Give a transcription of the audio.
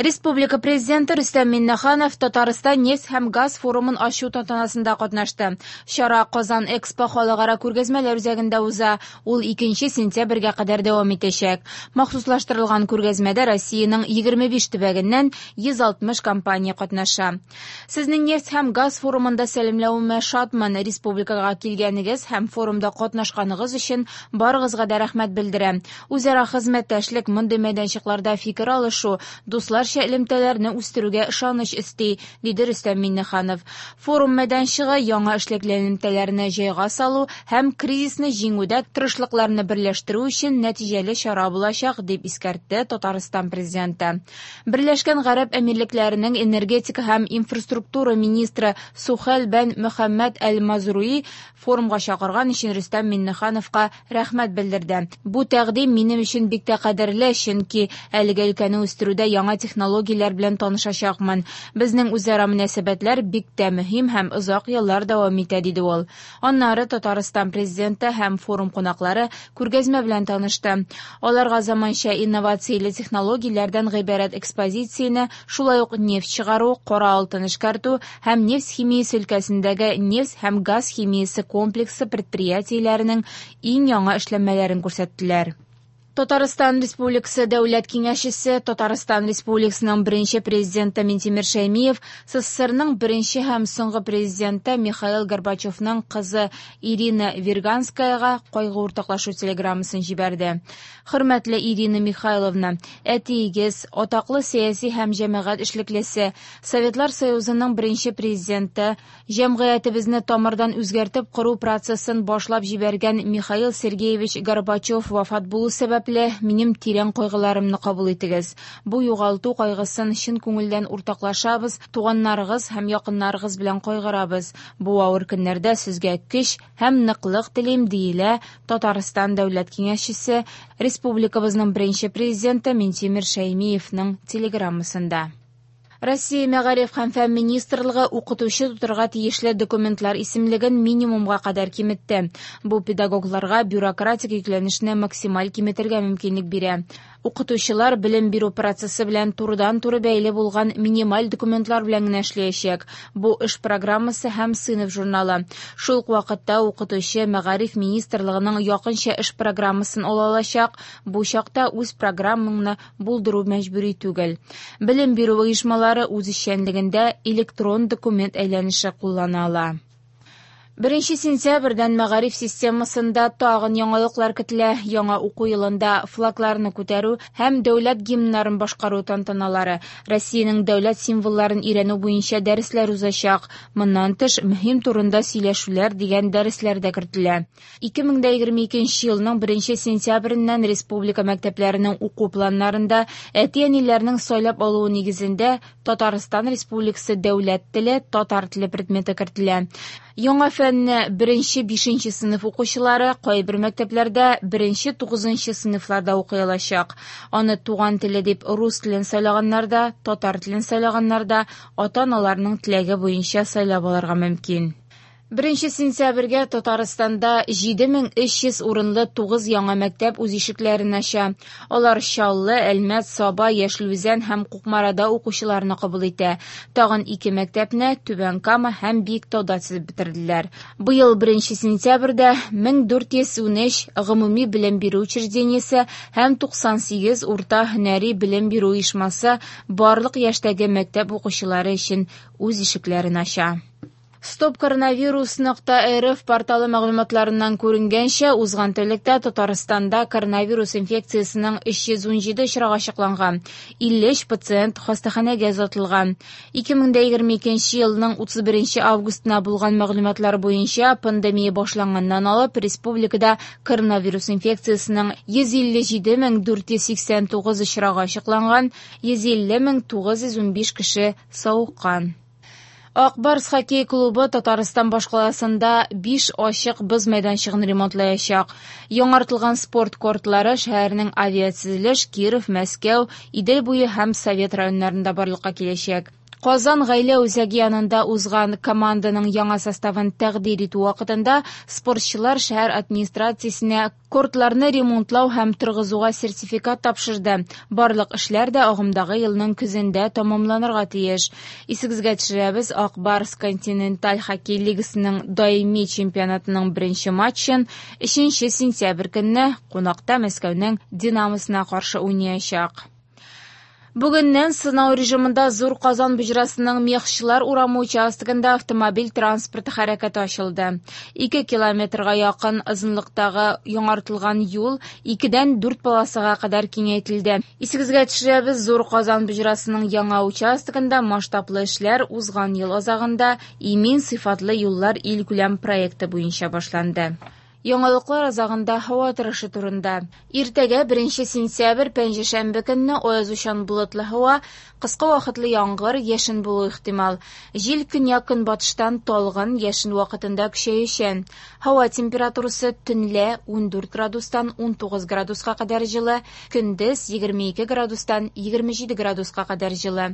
Республика Президенты Рөстәм Миңнеханов Татарстан нефть һәм газ форумын ачу тантанасында катнашты. Чара Казан Экспо халыкара күргәзмәләр үзәгендә уза, ул 2 сентябрьгә кадәр дәвам итәчәк. Махсуслаштырылган күргәзмәдә Россиянең 25 төбәгеннән 160 компания катнаша. Сезне нефть һәм газ форумында сәламләвемә шатмын. Республикага килгәнегез һәм форумда катнашканыгыз өчен барыгызга да рәхмәт белдерәм. Үзара хезмәттәшлек мондый мәйданчыкларда фикер алышу, дусларча элемтәләрне үстерүгә ышаныч өсти, диде Рөстәм Миңнеханов. Форум мәйданчыгы яңа эшлекле элемтәләрне җайга салу һәм кризисны җиңүдә тырышлыкларны берләштерү өчен нәтиҗәле чара булачак, дип искәртте Татарстан Президенты. Берләшкән Гарәп Әмирлекләренең энергетика һәм инфраструктура министры Сухель бән Мөхәммәд Әл-Мазруи форумга чакырган өчен Рөстәм Миңнехановка рәхмәт белдерде. Бу тәкъдим минем өчен бик тә кадерле, чөнки әлеге өлкәне үстерүдә яңа технологияләр белән танышачакмын. Безнең үзара мөнәсәбәтләр бик тә мөһим һәм озак еллар дәвам итә, диде ул. Аннары Татарстан Президенты һәм форум кунаклары күргәзмә белән танышты. Аларга заманча инновацияле технологияләрдән гыйбарәт экспозицияне, шулай ук нефть чыгару, кара алтын эшкәртү һәм нефть химиясе өлкәсендәге нефть һәм газ химиясе комплексы предприятиеләренең иң яңа эшләнмәләрен күрсәттеләр. Татарстан Республикасы Дәүләт Киңәшчесе, Татарстан Республикасының беренче президенты Минтимер Шәймиев СССРның беренче һәм соңгы президенты Михаил Горбачевның кызы Ирина Вирганскаяга кайгы уртаклашу телеграммасын җибәрде. Хөрмәтле Ирина Михайловна, әтиегез, атаклы сәяси һәм җәмәгать эшлеклесе, Советлар Союзының беренче президенты, җәмгыятебезне тамырдан үзгәртеп кору процессын башлап җибәргән Михаил Сергеевич Горбачев вафат булу сәбәпле, минем тирән кайгыларымны кабул итегез. Бу югалту кайгысын чын күңелдән уртаклашабыз, туганнарыгыз һәм якыннарыгыз белән кайгырабыз. Бу авыр көннәрдә сезгә көч һәм ныклык телим, диелә Татарстан Дәүләт Киңәшчесе, республикабызның беренче президенты Минтимер Шәймиевның телеграммасында. Россия Мәгариф һәм фән министрлыгы укытучы тотырга тиешле документлар исемлеген минимумга кадәр киметте. Бу педагогларга бюрократик йөкләнешне максималь киметергә мөмкинлек бирә. Укытучылар белем бирү процессы белән турыдан-туры бәйле булган минималь документлар белән генә эшләячәк. Бу эш программасы һәм сыйныф журналы. Шул ук вакытта укытучы Мәгариф министрлыгының якынча эш программасын ала алачак. Бу чакта үз программаңны булдыру мәҗбүри түгел. Белем бирү оешмалары үз эшчәнлегендә электрон документ әйләнеше куллана ала. 1 сентябрьдән мәгариф системасында тагын яңалыклар көтелә. Яңа уку елында флагларны күтәрү һәм дәүләт гимннарын башкару тантаналары, Россиянең дәүләт символларын өйрәнү буенча дәресләр узачак. Моннан тыш, мөһим турында сөйләшүләр дигән дәресләр дә кертелә. 2022 елның 1 сентябреннән республика мәктәпләренең уку планнарында әти-әниләрнең сайлап алуы нигезендә Татарстан Республикасы дәүләт теле, татар теле предметы кертелә. Яңа фәнне 1-5 сыйныф укучылары кайбер мәктәпләрдә 1-9 сыйныфларда укый алачак. Аны туган теле дип рус телен сайлаганнар да, татар телен сайлаганнар да ата-аналарның теләге буенча сайлап алырга мөмкин. 1 сентябрьгә Татарстанда 7300 урынлы 9 яңа мәктәп үз ишекләрен ача. Алар Чаллы, Әлмәт, Саба, Яшел Үзән һәм Кукмарада укучыларны кабул итә. Тагын 2 мәктәпне Түбән Кама һәм Биектауда төзеп бетерделәр. Быел 1 сентябрьдә 1413 гомуми белем бирү учреждениесе һәм 98 урта һөнәри белем бирү оешмасы барлык яшьтәге мәктәп укучылары өчен үз ишекләрен ача. Стоп коронавирус нокта рф порталы мәгълүматларыннан күренгәнчә, узган тәүлектә Татарстанда коронавирус инфекциясенең 317 очрагы ачыкланган, 53 пациент хастаханәгә озатылган. 2022 елның 31 августына булган мәгълүматлар буенча пандемия башланганнан алып республикада коронавирус инфекциясенең 157 489 очрагы ачыкланган, 150 915 кеше савыккан. Ак Барс хоккей клубы Татарстан башкаласында 5 ачык боз мәйданчыгын ремонтлаячак. Яңартылган спорт кортлары шәһәрнең Авиатөзелеш, Киров, Мәскәү, Идел буе һәм Совет районнарында барлыкка киләчәк. Казан гаилә үзәге янында узган команданың яңа составын тәкъдир итү вакытында спортчылар шәһәр администрациясенә кортларны ремонтлау һәм торгызуга сертификат тапшырды. Барлык эшләр дә агымдагы елның көзендә тәмамланырга тиеш. Исегезгә төшерәбез, Ак Барс континенталь хоккей лигасының даими чемпионатының беренче матчын 3 сентябрь көнне кунакта Мәскәүнең «Динамосына» каршы уйнаячак. Бүгеннән сынау режимында Зур Казан боҗрасының Мехчылар урамы участогында автомобиль транспорты хәрәкәте ачылды. 2 километрга якын озынлыктагы яңартылган юл 2-дән 4 полосага кадәр киңәйтелде. Исегезгә төшерәбез, Зур Казан боҗрасының яңа участогында масштаблы эшләр узган ел азагында «Имин сыйфатлы юллар илкүләм проекты буенча башланды. Яңалыклар азагында һава торышы турында. Иртәгә 1 сентябрь пәнҗешәмбе көнне аязучан болытлы һава, кыска вакытлы яңгыр, яшен булу ихтимал. Җил көньяк-көнбатыштан талгын, яшен вакытында көчәючән. Һава температурасы төнлә 14 градустан 19 градуска кадәр җылы, көндез 22 градустан 27 градуска кадәр җылы.